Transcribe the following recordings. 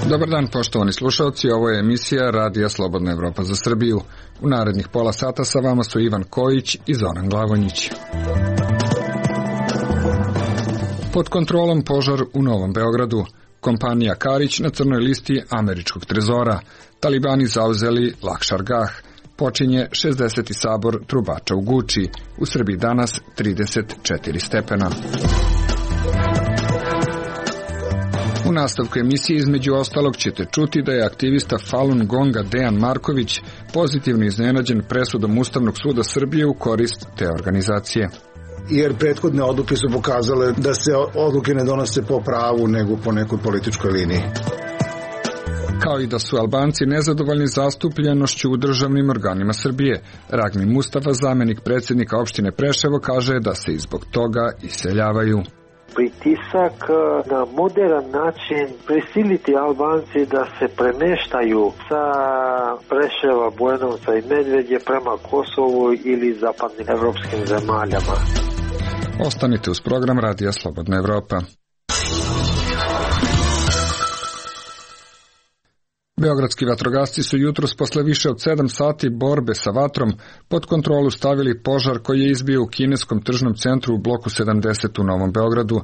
Dobar dan, poštovani slušalci, ovo je emisija Radija Slobodna Evropa za Srbiju. U narednih pola sata sa vama su Ivan Kojić i Zoran Glavonjić. Pod kontrolom požar u Novom Beogradu. Kompanija Karić na crnoj listi američkog trezora. Talibani zauzeli Lakšar-Gah. Počinje 60. sabor trubača u Guči. U Srbiji danas 34 stepena. U nastavku emisije između ostalog ćete čuti da je aktivista Falun Gonga Dejan Marković pozitivno iznenađen presudom Ustavnog suda Srbije u korist te organizacije. Jer prethodne odluke su pokazale da se odluke ne donose po pravu nego po nekoj političkoj liniji. Kao i da su Albanci nezadovoljni zastupljenošću u državnim organima Srbije. Ragmi Mustafa, zamenik predsjednika opštine Preševo, kaže da se i zbog toga iseljavaju. Pritisak na modern način prisiliti Albanci da se premeštaju sa Preševa, Bujanovca i Medvedje prema Kosovu ili zapadnim evropskim zemaljama. Ostanite uz program Radija Slobodna Evropa. Beogradski vatrogasci su jutros posle više od 7 sati borbe sa vatrom pod kontrolu stavili požar koji je izbio u kineskom tržnom centru u bloku 70 u Novom Beogradu.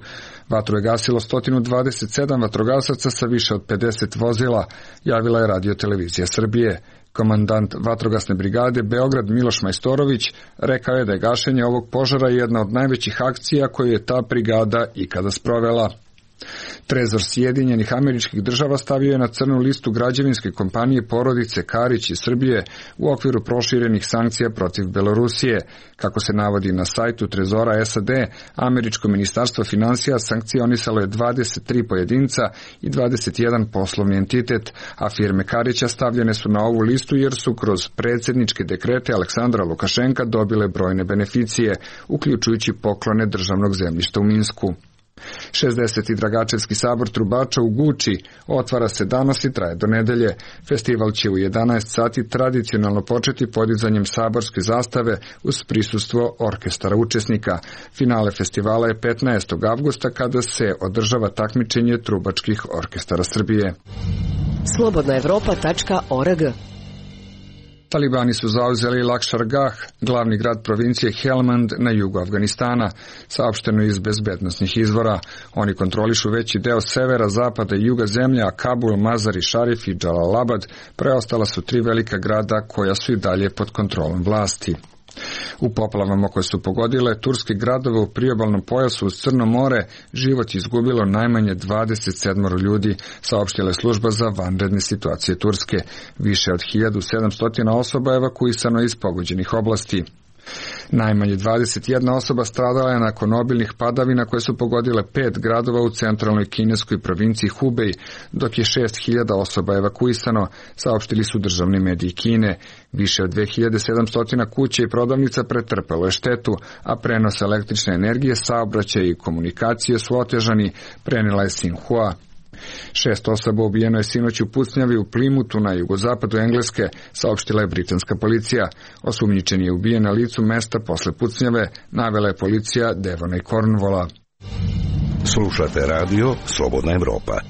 Vatru je gasilo 127 vatrogasaca sa više od 50 vozila, javila je Radio-televizija Srbije. Komandant vatrogasne brigade Beograd Miloš Majstorović rekao je da je gašenje ovog požara jedna od najvećih akcija koju je ta brigada ikada sprovela. Trezor Sjedinjenih Američkih Država stavio je na crnu listu građevinske kompanije porodice Karić iz Srbije u okviru proširenih sankcija protiv Belorusije. Kako se navodi na sajtu Trezora SAD, američko ministarstvo finansija sankcionisalo je 23 pojedinca i 21 poslovni entitet, a firme Karića stavljene su na ovu listu jer su kroz predsjedničke dekrete Aleksandra Lukašenka dobile brojne beneficije, uključujući poklone državnog zemljišta u Minsku. 60. Dragačevski sabor trubača u Guči otvara se danas i traje do nedelje. Festival će u 11 sati tradicionalno početi podizanjem saborske zastave uz prisustvo orkestara učesnika. Finale festivala je 15. avgusta kada se održava takmičenje trubačkih orkestara Srbije. Slobodnaevropa.org. Talibani su zauzeli Lakšar-Gah, glavni grad provincije Helmand na jugu Afganistana, saopšteno iz bezbednosnih izvora. Oni kontrolišu veći deo severa, zapada i juga zemlje, a Kabul, Mazar-i Šarif i Džalalabad preostala su 3 velika grada koja su i dalje pod kontrolom vlasti. U poplavama koje su pogodile turske gradove u priobalnom pojasu uz Crno more, život izgubilo najmanje 27 ljudi, saopštila je služba za vanredne situacije Turske. Više od 1700 osoba evakuisano iz pogođenih oblasti. Najmanje 21 osoba stradala je nakon obilnih padavina koje su pogodile 5 gradova u centralnoj kineskoj provinciji Hubei, dok je 6000 osoba evakuisano, saopštili su državni mediji Kine. Više od 2700 kuća i prodavnica pretrpelo je štetu, a prenos električne energije, saobraćaja i komunikacije su otežani, prenela je Xinhua. 6 osoba ubijeno je sinoć u pucnjavi u Plimutu na jugozapadu Engleske, saopštila je britanska policija. Osumnjičeni je ubijen na licu mesta posle pucnjave, navela je policija Devona i Cornwalla. Slušate radio Slobodna Evropa.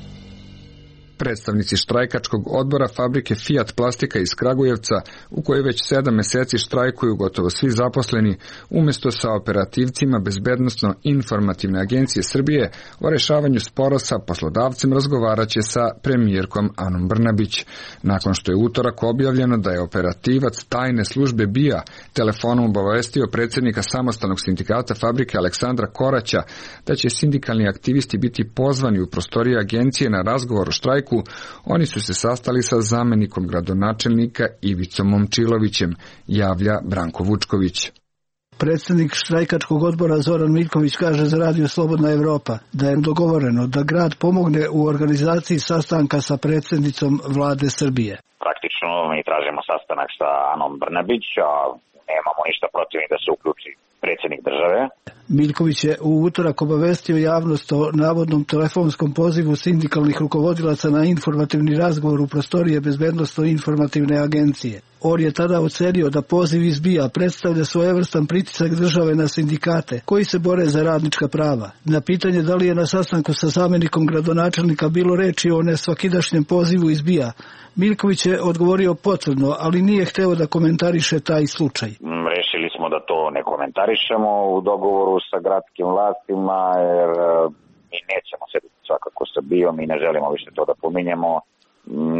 Predstavnici štrajkačkog odbora fabrike Fiat Plastika iz Kragujevca, u kojoj već 7 meseci štrajkuju gotovo svi zaposleni, umjesto sa operativcima Bezbednosno-informativne agencije Srbije o rešavanju spora sa poslodavcem razgovaraće sa premijerkom Anom Brnabić. Nakon što je utorak objavljeno da je operativac tajne službe BIA telefonom obavestio predsjednika samostalnog sindikata fabrike Aleksandra Koraća da će sindikalni aktivisti biti pozvani u prostorije agencije na razgovor o štrajku, oni su se sastali sa zamenikom gradonačelnika Ivicom Momčilovićem, javlja Branko Vučković. Predsjednik štrajkačkog odbora Zoran Miljković kaže za Radio Slobodna Evropa da je dogovoreno da grad pomogne u organizaciji sastanka sa predsjednicom vlade Srbije. Praktično mi tražimo sastanak sa Anom Brnabić, a nemamo ništa protiv da se uključi predsjednik države. Miljković je u utorak obavestio javnost o navodnom telefonskom pozivu sindikalnih rukovodilaca na informativni razgovor u prostorije Bezbednosno-informativne agencije. On je tada ocenio da poziv izbija predstavlja svojevrstan pritisak države na sindikate koji se bore za radnička prava. Na pitanje da li je na sastanku sa zamjenikom gradonačelnika bilo reči o nesvakidašnjem pozivu izbija, Miljković je odgovorio potvrdno, ali nije hteo da komentariše taj slučaj. Rešili smo da to ne komentarišemo u dogovoru sa gradskim vlastima, jer mi nećemo sediti svakako sa BIO, mi ne želimo više to da pominjemo.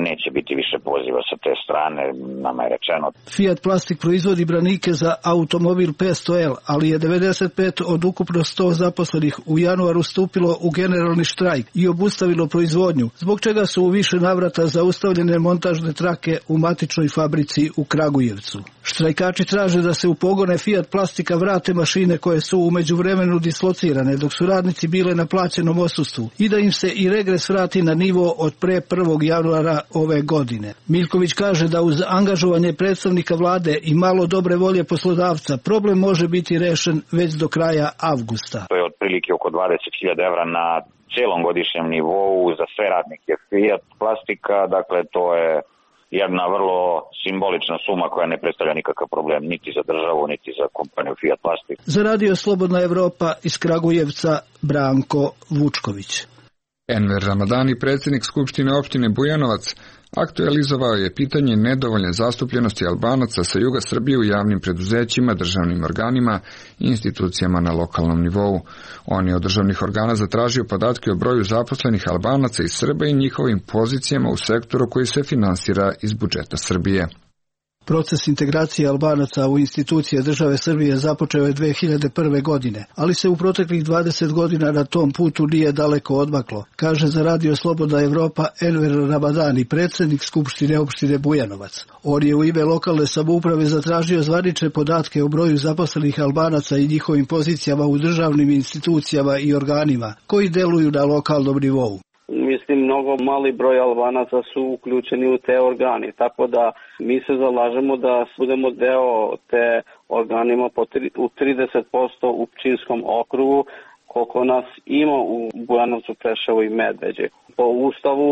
Neće biti više poziva sa te strane, nama je rečeno. Fiat Plastik proizvodi branike za automobil 500L, ali je 95 od ukupno 100 zaposlenih u januaru stupilo u generalni štrajk i obustavilo proizvodnju, zbog čega su u više navrata zaustavljene montažne trake u matičnoj fabrici u Kragujevcu. Štrajkači traže da se u pogone Fiat Plastika vrate mašine koje su u međuvremenu dislocirane dok su radnici bile na plaćenom odsustvu i da im se i regres vrati na nivo od pre 1. januara ove godine. Miljković kaže da uz angažovanje predstavnika vlade i malo dobre volje poslodavca problem može biti rešen već do kraja avgusta. To je otprilike oko 20.000 evra na celom godišnjem nivou za sve radnike Fiat Plastika, dakle to je jedna vrlo simbolična suma koja ne predstavlja nikakav problem niti za državu, niti za kompaniju Fiat Plastik. Za Radio Slobodna Evropa iz Kragujevca Branko Vučković. Enver Ramadani, predsjednik Skupštine opštine Bujanovac, aktualizovao je pitanje nedovoljne zastupljenosti Albanaca sa juga Srbije u javnim preduzećima, državnim organima i institucijama na lokalnom nivou. On je od državnih organa zatražio podatke o broju zaposlenih Albanaca iz Srba i njihovim pozicijama u sektoru koji se finansira iz budžeta Srbije. Proces integracije Albanaca u institucije države Srbije započeo je 2001. godine, ali se u proteklih 20 godina na tom putu nije daleko odmaklo, kaže za Radio Slobodna Evropa Enver Ramadani, predsjednik Skupštine opštine Bujanovac. On je u ime lokalne samouprave zatražio zvanične podatke o broju zaposlenih Albanaca i njihovim pozicijama u državnim institucijama i organima koji deluju na lokalnom nivou. Mislim, mnogo mali broj Albanaca su uključeni u te organi, tako da mi se zalažemo da budemo deo te organima u 30% u Pčinjskom okrugu, koliko nas ima u Bujanovcu, Preševu i Medveđi. Po ustavu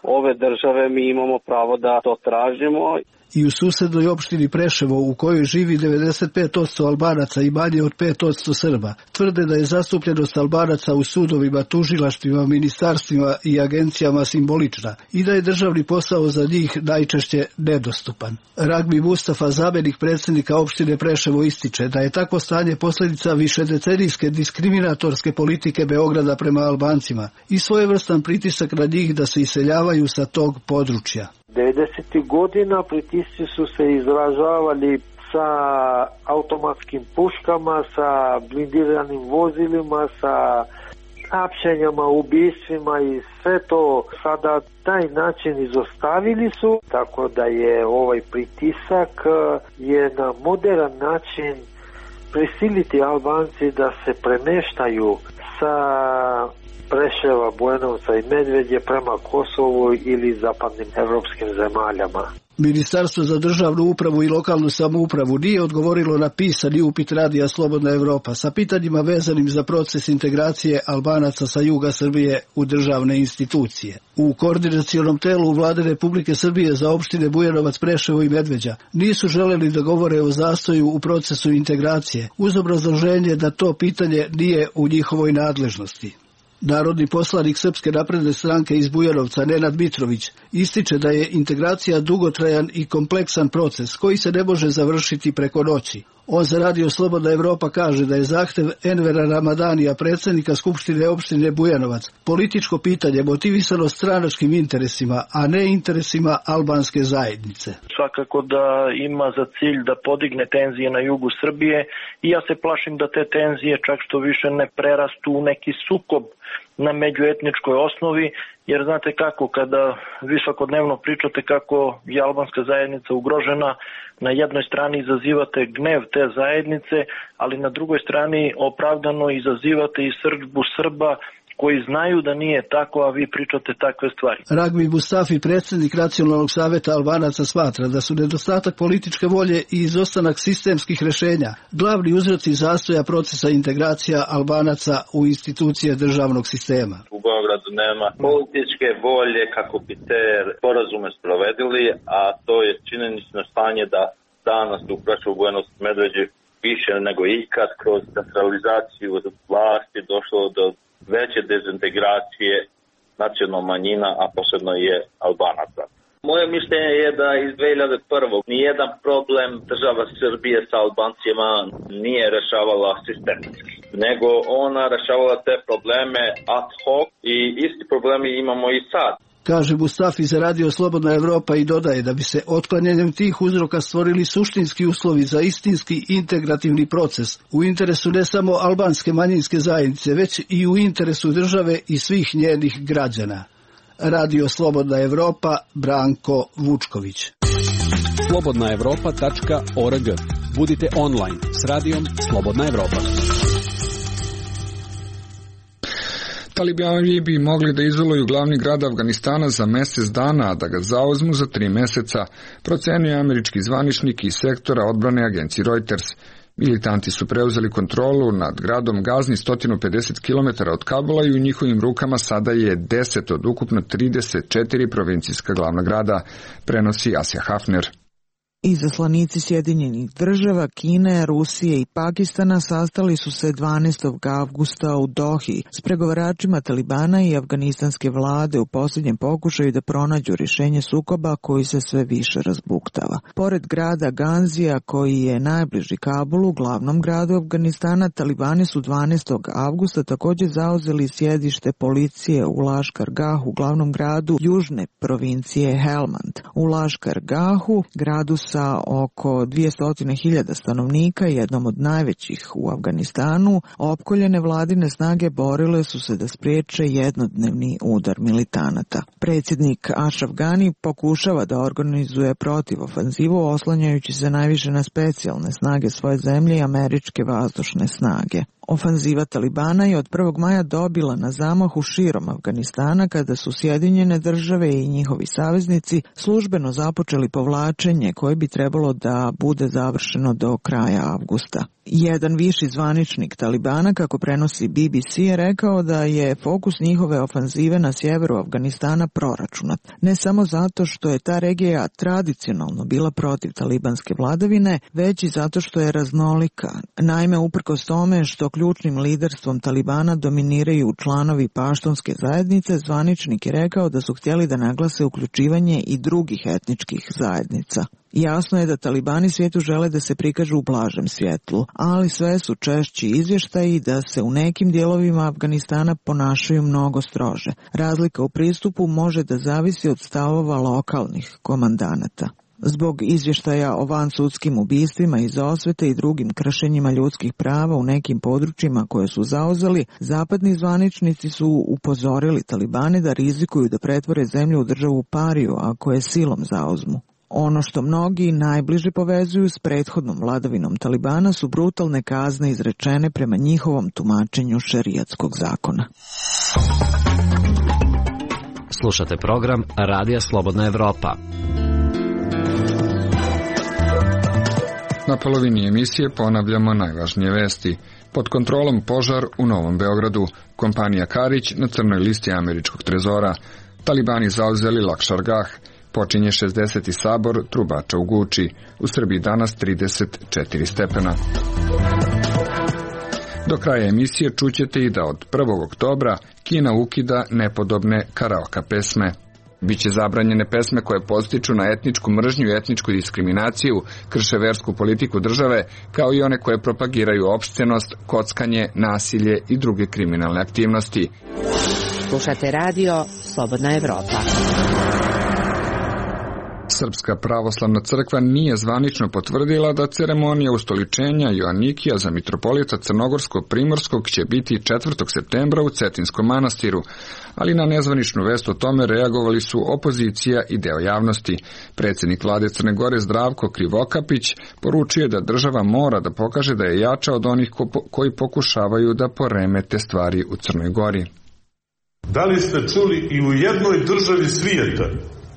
ove države mi imamo pravo da to tražimo. I u susednoj opštini Preševo, u kojoj živi 95% Albanaca i manje od 5% Srba, tvrde da je zastupljenost Albanaca u sudovima, tužilaštvima, ministarstvima i agencijama simbolična i da je državni posao za njih najčešće nedostupan. Ragbi Mustafa, zamjenik predsjednika opštine Preševo, ističe da je takvo stanje posljedica višedecenijske diskriminatorske politike Beograda prema Albancima i svojevrstan pritisak na njih da se iseljavaju sa tog područja. 90. godina pritisci su se izražavali sa automatskim puškama, sa blindiranim vozilima, sa hapšenjama, ubistvima i sve to sada taj način izostavili su, tako da je ovaj pritisak je na modern način prisiliti Albanci da se premeštaju sa Preševa, Bujanovca i Medveđe prema Kosovu ili zapadnim evropskim zemaljama. Ministarstvo za državnu upravu i lokalnu samoupravu nije odgovorilo na pisani upit Radija Slobodna Evropa sa pitanjima vezanim za proces integracije Albanaca sa juga Srbije u državne institucije. U koordinacionom telu Vlade Republike Srbije za opštine Bujanovac, Preševo i Medveđa nisu želeli da govore o zastoju u procesu integracije, uz obrazloženje da to pitanje nije u njihovoj nadležnosti. Narodni poslanik Srpske napredne stranke iz Bujanovca Nenad Mitrović ističe da je integracija dugotrajan i kompleksan proces koji se ne može završiti preko noći. On za Radio Slobodna Evropa kaže da je zahtev Envera Ramadanija, predsjednika Skupštine opštine Bujanovac, političko pitanje motivisano stranačkim interesima, a ne interesima albanske zajednice. Svakako da ima za cilj da podigne tenzije na jugu Srbije i ja se plašim da te tenzije čak što više ne prerastu u neki sukob na međuetničkoj osnovi, jer znate kako, kada vi svakodnevno pričate kako je albanska zajednica ugrožena, na jednoj strani izazivate gnev te zajednice, ali na drugoj strani opravdano izazivate i srdžbu Srba koji znaju da nije tako, a vi pričate takve stvari. Ragbi Mustafi, predsjednik Nacionalnog saveta Albanaca, smatra da su nedostatak političke volje i izostanak sistemskih rješenja glavni uzroci zastoja procesa integracija Albanaca u institucije državnog sistema. U Beogradu nema političke volje kako bi te sporazume sprovedili, a to je činjenično stanje da danas u Preševu, Bujanovcu, Medveđi više nego ikad kroz centralizaciju vlasti došlo do veće dezintegracije nacionalnih manjina, a posebno je Albanaca. Moje mišljenje je da iz 2001. nijedan problem država Srbije sa Albancima nije rešavala sistemski, nego ona rešavala te probleme ad hoc i isti problemi imamo i sad. Kaže Mustafi za Radio Slobodna Evropa i dodaje da bi se otklanjanjem tih uzroka stvorili suštinski uslovi za istinski integrativni proces u interesu ne samo albanske manjinske zajednice, već i u interesu države i svih njenih građana. Radio Slobodna Evropa, Branko Vučković. slobodnaevropa.org. Budite online s radijom Slobodna Evropa. Talibani bi mogli da izoluju glavni grad Afganistana za mjesec dana, a da ga zauzmu za 3 mjeseca, procenio američki zvaničnik iz sektora odbrane agencije Reuters. Militanti su preuzeli kontrolu nad gradom Gazni 150 km od Kabula i u njihovim rukama sada je 10 od ukupno 34 provincijska glavna grada, prenosi Asja Hafner. Izaslanici Sjedinjenih država, Kine, Rusije i Pakistana sastali su se 12. avgusta u Dohi s pregovaračima Talibana i afganistanske vlade u posljednjem pokušaju da pronađu rješenje sukoba koji se sve više razbuktava. Pored grada Ganzija, koji je najbliži Kabulu, glavnom gradu Afganistana, Talibani su 12. avgusta također zauzeli sjedište policije u Laškar-Gahu, glavnom gradu južne provincije Helmand. U Laškar-Gahu, gradu sa oko 200.000 stanovnika, jednom od najvećih u Afganistanu, opkoljene vladine snage borile su se da spriječe jednodnevni udar militanata. Predsjednik Ashraf Ghani pokušava da organizuje protivofanzivu oslanjajući se najviše na specijalne snage svoje zemlje i američke vazdušne snage. Ofanziva Talibana je od 1. maja dobila na zamahu širom Afganistana kada su Sjedinjene države i njihovi saveznici službeno započeli povlačenje koje bi trebalo da bude završeno do kraja avgusta. Jedan viši zvaničnik Talibana, kako prenosi BBC, je rekao da je fokus njihove ofanzive na sjeveru Afganistana proračunat. Ne samo zato što je ta regija tradicionalno bila protiv talibanske vladavine, već i zato što je raznolika. Naime, uprkos tome što ključnim liderstvom Talibana dominiraju članovi paštunske zajednice, zvaničnik je rekao da su htjeli da naglase uključivanje i drugih etničkih zajednica. Jasno je da Talibani svijetu žele da se prikažu u blažem svjetlu, ali sve su češći izvještaji da se u nekim dijelovima Afganistana ponašaju mnogo strože. Razlika u pristupu može da zavisi od stavova lokalnih komandanata. Zbog izvještaja o vansudskim ubistvima iz osvete i drugim kršenjima ljudskih prava u nekim područjima koje su zauzeli, zapadni zvaničnici su upozorili Talibane da rizikuju da pretvore zemlju u državu pariju ako je silom zauzmu. Ono što mnogi najbliže povezuju s prethodnom vladavinom Talibana su brutalne kazne izrečene prema njihovom tumačenju šerijatskog zakona. Slušate program Radija Slobodna Evropa. Na polovini emisije ponavljamo najvažnije vesti. Pod kontrolom požar u Novom Beogradu, kompanija Karić na crnoj listi američkog trezora, Talibani zauzeli Lakšar-Gah, počinje 60. sabor trubača u Guči, u Srbiji danas 34 stepena. Do kraja emisije čućete i da od 1. oktobra Kina ukida nepodobne karaoke pesme. Biće zabranjene pesme koje podstiču na etničku mržnju i etničku diskriminaciju, krše versku politiku države, kao i one koje propagiraju opštenost, kockanje, nasilje i druge kriminalne aktivnosti. Slušate radio Slobodna Evropa. Srpska pravoslavna crkva nije zvanično potvrdila da ceremonija ustoličenja Joanikija za mitropolita Crnogorsko-Primorskog će biti 4. septembra u Cetinskom manastiru, ali na nezvaničnu vest o tome reagovali su opozicija i deo javnosti. Predsjednik vlade Crne Gore Zdravko Krivokapić poručio da država mora da pokaže da je jača od onih koji pokušavaju da poremete stvari u Crnoj Gori. Da li ste čuli i u jednoj državi svijeta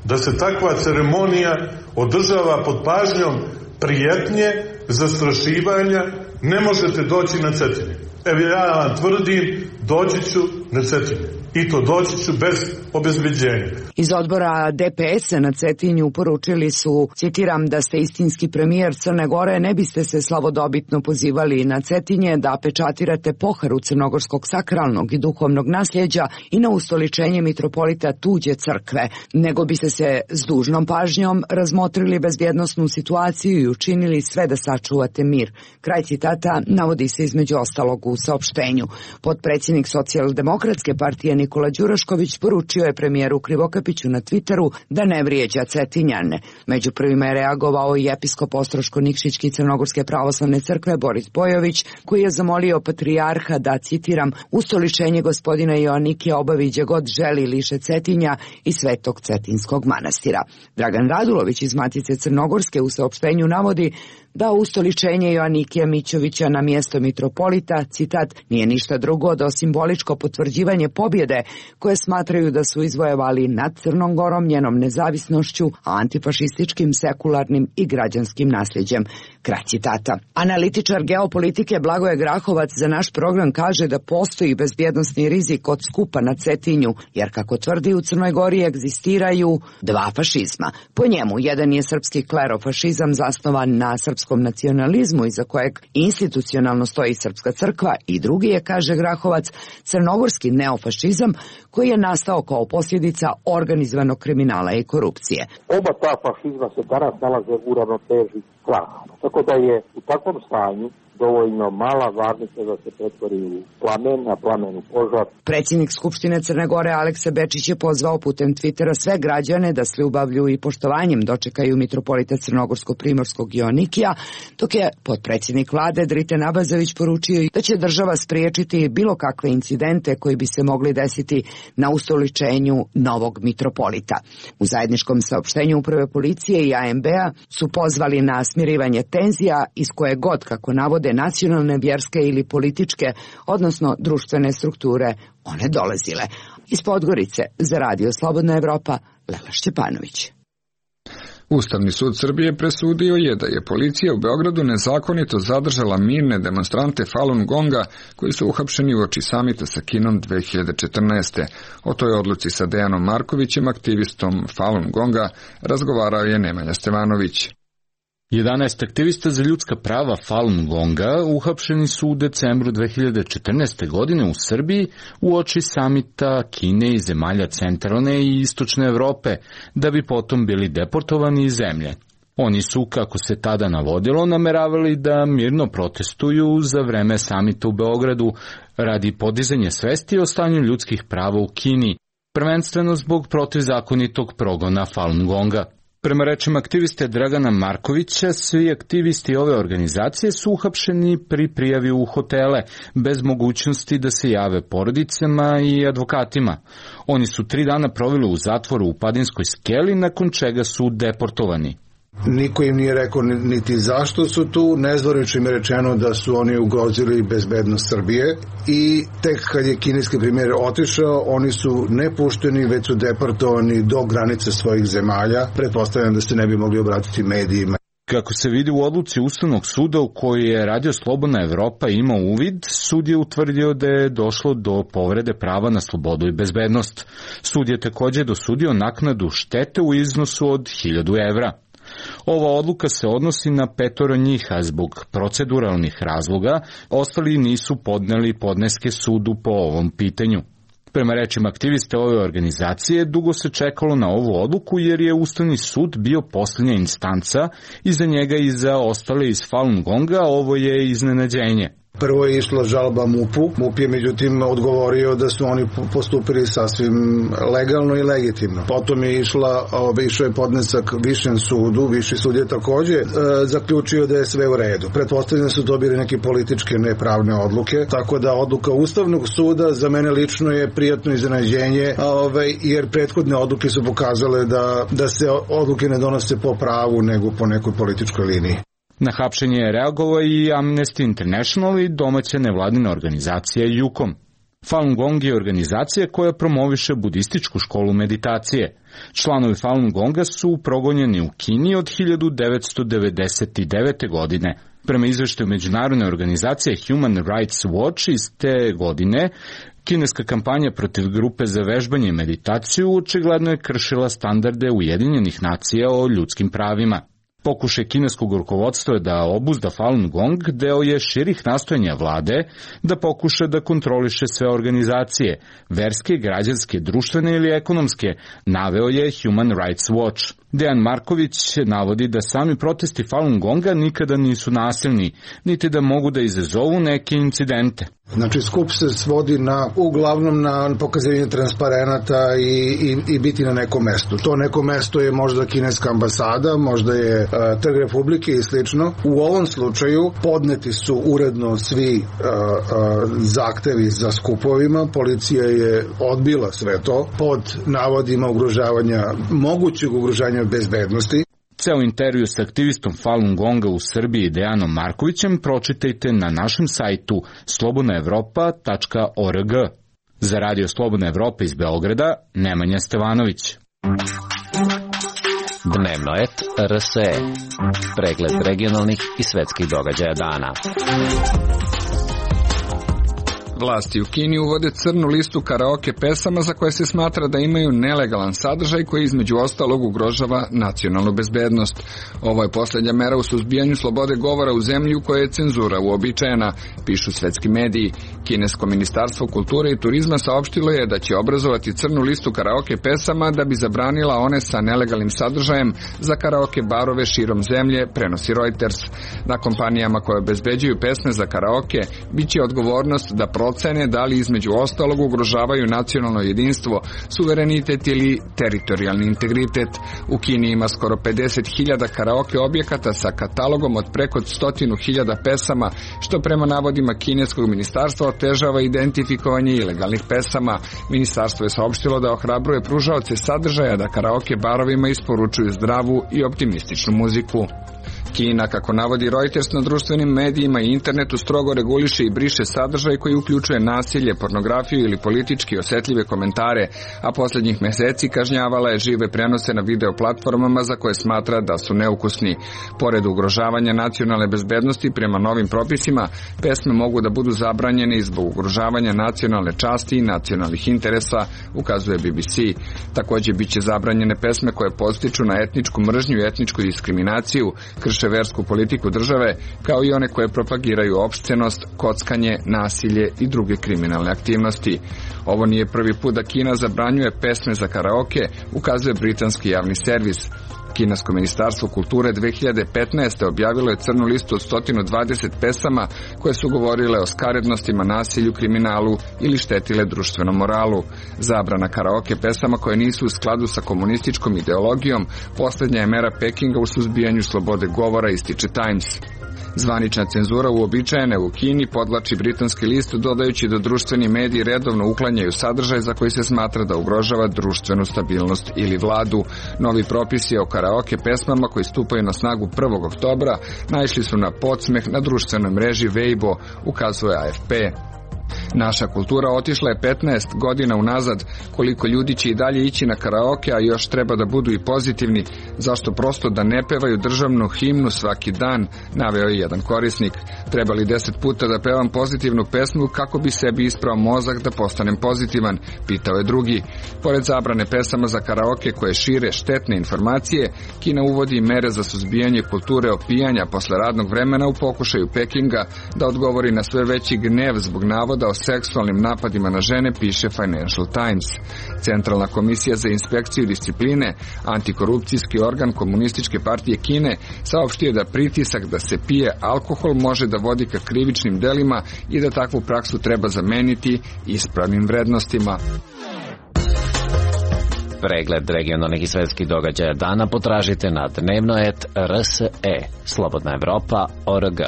da se takva ceremonija održava pod pažnjom prijetnje, zastrašivanja? Ne možete doći na Cetinje. Evo ja vam tvrdim, doći ću na Cetinje. I to doći ću bez obezbeđenja. Iz odbora DPS-a na Cetinju poručili su, citiram, da ste istinski premijer Crne Gore, ne biste se slavodobitno pozivali na Cetinje da pečatirate poharu crnogorskog sakralnog i duhovnog nasljeđa i na ustoličenje mitropolita tuđe crkve, nego biste se s dužnom pažnjom razmotrili bezbjednosnu situaciju i učinili sve da sačuvate mir. Kraj citata navodi se između ostalog u saopštenju. Potpredsjednik Socijaldemokratske partije Nikola Đurašković poručio je premijeru Krivokapiću na Twitteru da ne vrijeđa Cetinjane. Među prvima je reagovao i episkop Ostroško-Nikšićki Crnogorske pravoslavne crkve Boris Bojović, koji je zamolio patrijarha da, citiram, ustoličenje gospodina Joannikija obavi gdje god želi liše Cetinja i Svetog Cetinskog manastira. Dragan Radulović iz Matice Crnogorske u saopštenju navodi da ustoličenje Joannikija Mićovića na mjesto mitropolita, citat, nije ništa drugo do simboličko potvrđivanje pobjede koje smatraju da su izvojevali nad Crnom Gorom, njenom nezavisnošću, antifašističkim, sekularnim i građanskim nasljeđem. Kraj citata. Analitičar geopolitike Blagoje Grahovac za naš program kaže da postoji bezbjednosni rizik od skupa na Cetinju, jer kako tvrdi u Crnoj Gori egzistiraju dva fašizma. Po njemu, jedan je srpski klerofašizam zasnovan na srpskom nacionalizmu iza kojeg institucionalno stoji Srpska crkva i drugi je, kaže Grahovac, crnogorski neofašizam koji je nastao kao posljedica organizovanog kriminala i korupcije. Oba ta fašizma se danas nalaze u ravnoteži straha. Tako da je u takvom stanju dovoljno mala varnica da se pretvori u plamen, a plamen u požar. Predsjednik Skupštine Crne Gore Aleksa Bečić je pozvao putem Twittera sve građane da s ljubavlju i poštovanjem dočekaju mitropolita Crnogorsko-Primorskog Joannikija, dok je potpredsjednik vlade Driten Abazović poručio da će država spriječiti bilo kakve incidente koji bi se mogli desiti na ustoličenju novog mitropolita. U zajedničkom saopštenju Uprave policije i AMB-a su pozvali na smirivanje tenzija iz koje god, kako navode, nacionalne, vjerske ili političke, odnosno društvene strukture, one dolazile. Iz Podgorice za Radio Slobodna Evropa, Lela Šćepanović. Ustavni sud Srbije presudio je da je policija u Beogradu nezakonito zadržala mirne demonstrante Falun Gonga koji su uhapšeni uoči samita sa Kinom 2014. O toj odluci sa Dejanom Markovićem, aktivistom Falun Gonga, razgovarao je Nemanja Stevanović. 11 aktivista za ljudska prava Falun Gonga uhapšeni su u decembru 2014. godine u Srbiji uoči samita Kine i zemalja centralne i istočne Evrope, da bi potom bili deportovani iz zemlje. Oni su, kako se tada navodilo, nameravali da mirno protestuju za vreme samita u Beogradu radi podizanja svesti o stanju ljudskih prava u Kini, prvenstveno zbog protivzakonitog progona Falun Gonga. Prema rečima aktiviste Dragana Markovića, svi aktivisti ove organizacije su uhapšeni pri prijavi u hotele, bez mogućnosti da se jave porodicama i advokatima. Oni su 3 dana proveli u zatvoru u Padinskoj skeli, nakon čega su deportovani. Niko im nije rekao niti zašto su tu, nezvorično im je rečeno da su oni ugrozili bezbednost Srbije i tek kad je kineski premijer otišao, oni su ne pušteni, već su deportovani do granice svojih zemalja. Pretpostavljam da se ne bi mogli obratiti medijima. Kako se vidi u odluci Ustavnog suda u kojoj je Radio Slobodna Evropa imao uvid, sud je utvrdio da je došlo do povrede prava na slobodu i bezbednost. Sud je također dosudio naknadu štete u iznosu od 1000 evra. Ova odluka se odnosi na 5 njih, a zbog proceduralnih razloga ostali nisu podneli podneske sudu po ovom pitanju. Prema rečima aktiviste ove organizacije, dugo se čekalo na ovu odluku jer je Ustavni sud bio posljednja instanca i za njega i za ostale iz Falun Gonga ovo je iznenađenje. Prvo je išla žalba MUP-u. MUP je međutim odgovorio da su oni postupili sasvim legalno i legitimno. Potom je išao je podnesak Višem sudu. Viši sud je također zaključio da je sve u redu. Pretpostavljam da su dobili neke političke nepravne odluke, tako da odluka Ustavnog suda za mene lično je prijatno iznenađenje, jer prethodne odluke su pokazale da se odluke ne donose po pravu nego po nekoj političkoj liniji. Na hapšenje je reagovao i Amnesty International i domaća nevladina organizacija JUKOM. Falun Gong je organizacija koja promoviše budističku školu meditacije. Članovi Falun Gonga su progonjeni u Kini od 1999. godine. Prema izveštaju međunarodne organizacije Human Rights Watch iz te godine, kineska kampanja protiv grupe za vežbanje i meditaciju očigledno je kršila standarde Ujedinjenih nacija o ljudskim pravima. Pokušaj kineskog rukovodstva je da obuzda Falun Gong deo je širih nastojanja vlade da pokuša da kontroliše sve organizacije, verske, građanske, društvene ili ekonomske, naveo je Human Rights Watch. Dejan Marković navodi da sami protesti Falun Gonga nikada nisu nasilni, niti da mogu da izazovu neke incidente. Znači, skup se svodi uglavnom na pokazivanje transparenata i biti na nekom mestu. To neko mesto je možda kineska ambasada, možda je Trg Republike i slično. U ovom slučaju podneti su uredno svi zahtevi za skupovima. Policija je odbila sve to pod navodima mogućeg ugrožavanja bezbednosti. Ceo intervju s aktivistom Falun Gonga u Srbiji Dejanom Markovićem pročitajte na našem sajtu slobodnaevropa.org. Za Radio Slobodna Evropa iz Beograda, Nemanja Stevanović. Dnevno et RSE. Pregled regionalnih i svetskih događaja dana. Vlasti u Kini uvode crnu listu karaoke pesama za koje se smatra da imaju nelegalan sadržaj koji između ostalog ugrožava nacionalnu bezbednost. Ovo je posljednja mera u suzbijanju slobode govora u zemlji u kojoj je cenzura uobičajena, pišu svetski mediji. Kinesko ministarstvo kulture i turizma saopštilo je da će obrazovati crnu listu karaoke pesama da bi zabranila one sa nelegalnim sadržajem za karaoke barove širom zemlje, prenosi Reuters. Na kompanijama koje obezbeđuju pesme za karaoke biće odgovornost da procene da li između ostalog ugrožavaju nacionalno jedinstvo, suverenitet ili teritorijalni integritet. U Kini ima skoro 50.000 karaoke objekata sa katalogom od preko 100.000 pesama, što prema navodima kineskog ministarstva otežava identifikovanje ilegalnih pesama. Ministarstvo je saopštilo da ohrabruje pružaoce sadržaja da karaoke barovima isporučuju zdravu i optimističnu muziku. Kina, kako navodi Reuters, na društvenim medijima i internetu strogo reguliše i briše sadržaj koji uključuje nasilje, pornografiju ili politički osetljive komentare, a posljednjih meseci kažnjavala je žive prenose na video platformama za koje smatra da su neukusni. Pored ugrožavanja nacionalne bezbednosti prema novim propisima, pesme mogu da budu zabranjene i zbog ugrožavanja nacionalne časti i nacionalnih interesa, ukazuje BBC. Također biće zabranjene pesme koje podstiču na etničku mržnju i etničku diskriminaciju, krše versku politiku države, kao i one koje propagiraju opscenost, kockanje, nasilje i druge kriminalne aktivnosti. Ovo nije prvi put da Kina zabranjuje pesme za karaoke, ukazuje britanski javni servis. Kinesko ministarstvo kulture 2015. objavilo je crnu listu od 120 pesama koje su govorile o skarednostima, nasilju, kriminalu ili štetile društvenom moralu. Zabrana karaoke pesama koje nisu u skladu sa komunističkom ideologijom posljednja je mera Pekinga u suzbijanju slobode govora, ističe Times. Zvanična cenzura uobičajena u Kini, podvlači britanski list, dodajući da društveni mediji redovno uklanjaju sadržaj za koji se smatra da ugrožava društvenu stabilnost ili vladu. Novi propisi o karaoke pesmama koji stupaju na snagu 1. oktobra naišli su na podsmeh na društvenoj mreži Weibo, ukazuje AFP. Naša kultura otišla je 15 godina unazad. Koliko ljudi će i dalje ići na karaoke, a još treba da budu i pozitivni, zašto prosto da ne pevaju državnu himnu svaki dan, naveo je jedan korisnik. Treba li 10 puta da pevam pozitivnu pesmu kako bi sebi isprao mozak da postanem pozitivan, pitao je drugi. Pored zabrane pesama za karaoke koje šire štetne informacije, Kina uvodi mere za suzbijanje kulture opijanja posle radnog vremena u pokušaju Pekinga da odgovori na sve veći gnev zbog navoda o seksualnim napadima na žene, piše Financial Times. Centralna komisija za inspekciju discipline, antikorupcijski organ Komunističke partije Kine, saopštio da pritisak da se pije alkohol može da vodi ka krivičnim delima i da takvu praksu treba zameniti ispravnim vrednostima. Pregled regionalnih i svetskih događaja dana potražite na dnevno.rt.rse, slobodnaevropa.org.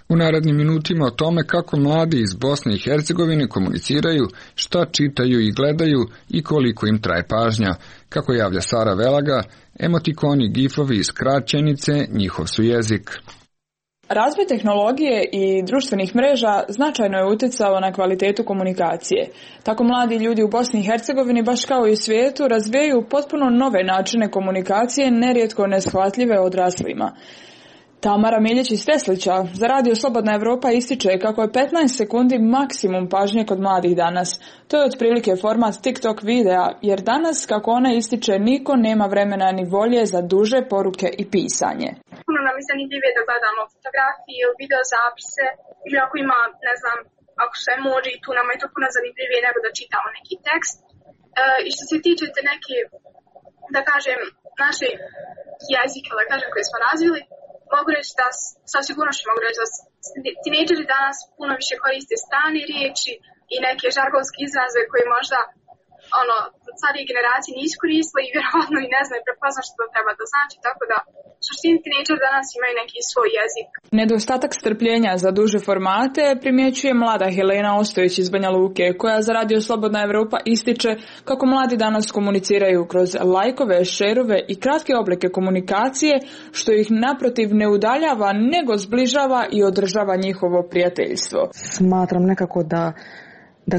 U narednim minutima o tome kako mladi iz Bosne i Hercegovine komuniciraju, šta čitaju i gledaju i koliko im traje pažnja. Kako javlja Sara Velaga, emotikoni, gifovi i skraćenice, njihov su jezik. Razvoj tehnologije i društvenih mreža značajno je utjecao na kvalitetu komunikacije. Tako mladi ljudi u Bosni i Hercegovini, baš kao i u svijetu, razvijaju potpuno nove načine komunikacije, nerijetko neshvatljive odraslima. Tamara Miljić iz Teslića za Radio Slobodna Evropa ističe kako je 15 sekundi maksimum pažnje kod mladih danas. To je otprilike format TikTok videa, jer danas, kako ona ističe, niko nema vremena ni volje za duže poruke i pisanje. Puno nam je zanimljivije da gledamo fotografije ili videozapise, ili ako ima, ne znam, ako su emoji, tu nam je to puno zanimljivije nego da čitamo neki tekst. I što se tiče te neke, da kažem, naše jezike, da kažem, koje smo razvili, mogu reći da, sa sigurnošću mogu reći da tinejdžeri danas puno više koriste strane riječi i neke žargonske izraze koje možda starije generacije nisu koristile i vjerovatno i ne znaju prepoznati što to treba da znači, tako da suštini tinejdžeri danas imaju neki svoj jezik. Nedostatak strpljenja za duže formate primjećuje mlada Helena Ostojić iz Banja Luke, koja za Radio Slobodna Evropa ističe kako mladi danas komuniciraju kroz lajkove, šerove i kratke oblike komunikacije, što ih naprotiv ne udaljava, nego zbližava i održava njihovo prijateljstvo. Smatram nekako da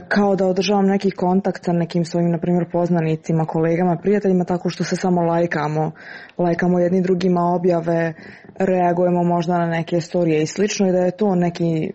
kao da održavam neki kontakt sa nekim svojim, na primjer, poznanicima, kolegama, prijateljima, tako što se samo lajkamo jedni drugima objave, reagujemo možda na neke storije i slično, i da je to neki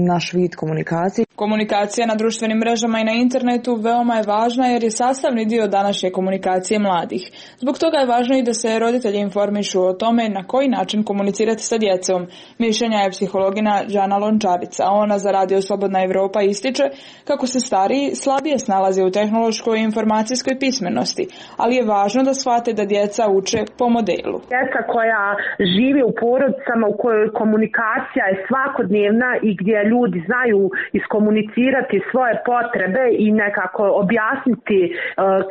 naš vid komunikacije. Komunikacija na društvenim mrežama i na internetu veoma je važna jer je sastavni dio današnje komunikacije mladih. Zbog toga je važno i da se roditelji informišu o tome na koji način komunicirati sa djecom. Mišljenja je psihologina Đana Lončarica. Ona za Radio Slobodna Evropa ističe kako se stariji slabije snalaze u tehnološkoj i informacijskoj pismenosti, ali je važno da shvate da djeca uče po modelu. Djeca koja žive u porodicama u kojoj komunikacija je svakodnevna i gdje ljudi znaju iskomunicirati svoje potrebe i nekako objasniti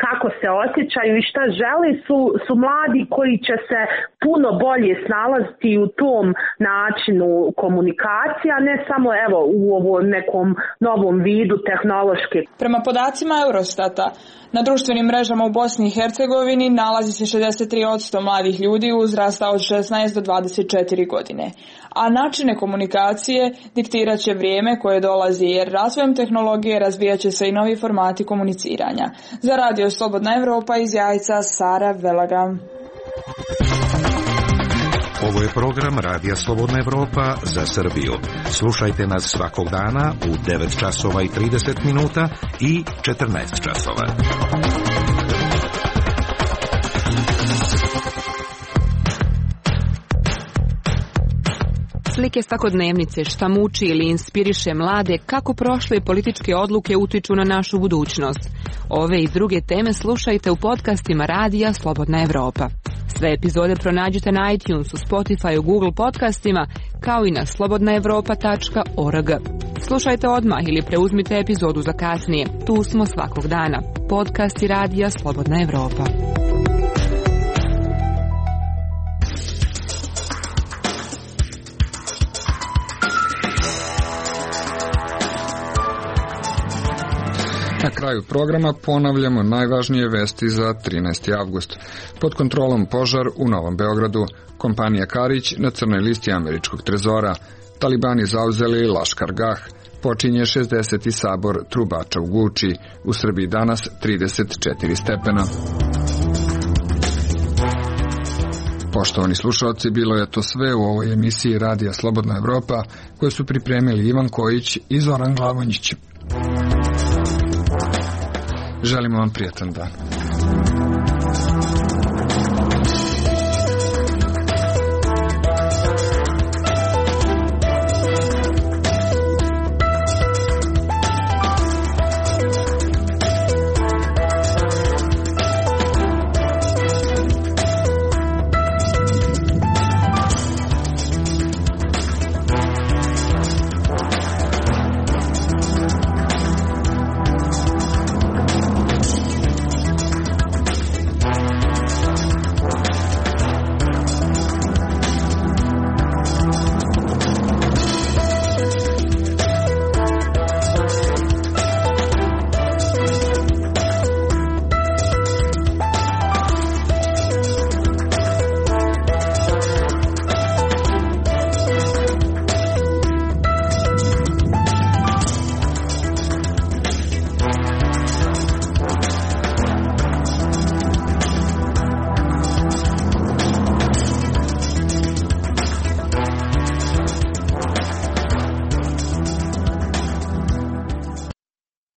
kako se osjećaju i šta žele, su mladi koji će se puno bolje snalaziti u tom načinu komunikacije, a ne samo u ovom nekom novom vidu tehnološke. Prema podacima Eurostata, na društvenim mrežama u Bosni i Hercegovini nalazi se 63% mladih ljudi uzrasta od 16 do 24 godine. A načine komunikacije diktirat će vrijeme koje dolazi, jer razvojem tehnologije razvijat će se i novi formati komuniciranja. Za Radio Slobodna Evropa iz Jajca, Sara Velaga. Ovo je program Radija Slobodna Evropa za Srbiju. Slušajte nas svakog dana u 9 časova i 30 minuta i 14 časova. Slike svakodnevnice, šta muči ili inspiriše mlade, kako prošle političke odluke utiču na našu budućnost. Ove i druge teme slušajte u podcastima Radija Slobodna Evropa. Sve epizode pronađite na iTunesu, Spotify, Google podcastima, kao i na slobodnaevropa.org. Slušajte odmah ili preuzmite epizodu za kasnije. Tu smo svakog dana. Podcasti Radija Slobodna Evropa. Na kraju programa ponavljamo najvažnije vesti za 13. avgust. Pod kontrolom požar u Novom Beogradu, kompanija Karić na crnoj listi američkog trezora, talibani zauzeli Laškar Gah, počinje 60. sabor trubača u Guči, u Srbiji danas 34 stepena. Poštovani slušalci, bilo je to sve u ovoj emisiji Radija Slobodna Evropa, koju su pripremili Ivan Kojić i Zoran Glavonjić. Želimo vam prijatan dan.